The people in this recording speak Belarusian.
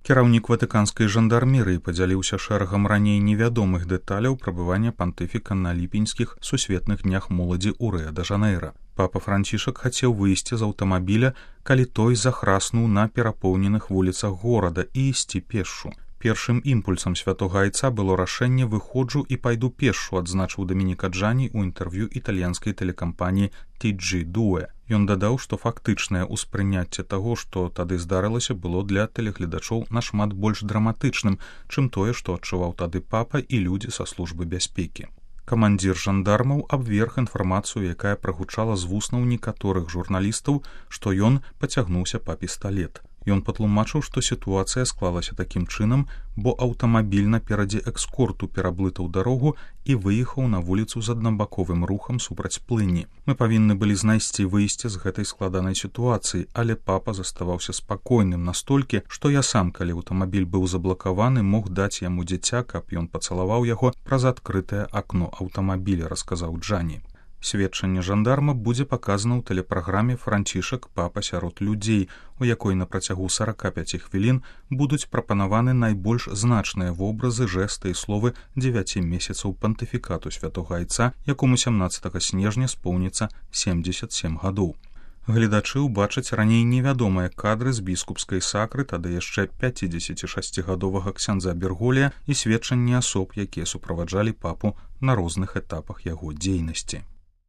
Кіраўнік ватыканскай жандармерыі падзяліўся шэрагам раней невядомых дэталяў прабывання пантыфіка на ліпеньскіх сусветных днях моладзі ў Рыа-дэ-Жанэйра. Папа Францішак хацеў выйсці з аўтамабіля, калі той захраснуў на перапоўненых вуліцах горада і ісці пешшу. Першым імпульсам святога айца было рашэнне «выходжу і пайду пешшу», адзначыў Дамініка Джані ў інтэрв'ю італьянскай тэлекампаніі TG2. Ён дадаў, што фактычнае ўспрыняцце таго, што тады здарылася, было для тэлегледачоў нашмат больш драматычным, чым тое, што адчуваў тады папа і людзі са службы бяспекі. Камандзір жандармаў абверг інфармацыю, якая прагучала з вуснаў некаторых журналістаў, што ён пацягнуўся па пісталет. Ён патлумачыў, што сітуацыя склалася такім чынам, бо аўтамабіль наперадзе экскорту пераблытаў дарогу і выехаў на вуліцу з аднабаковым рухам супраць плыні. Мы павінны былі знайсці выйсце з гэтай складанай сітуацыі, але папа заставаўся спакойным настолькі, што я сам, калі аўтамабіль быў заблакаваны, мог даць яму дзіця, каб ён пацалаваў яго праз адкрытае акно аўтамабіля, расказаў Джані. Сведчанне жандарма будзе паказана ў тэлепраграме «Францішак. Папа сярод людзей», у якой на працягу 45 хвілін будуць прапанаваны найбольш значныя вобразы, жэсты і словы 9 месяцаў пантыфікату святога айца, якому 17 снежня споўніцца 77 гадоў. Гледачы ўбачаць раней невядомыя кадры з біскупскай сакры, тады яшчэ 56-гадовага ксяндза Берголія і сведчанні асоб, якія суправаджалі папу на розных этапах яго дзейнасці.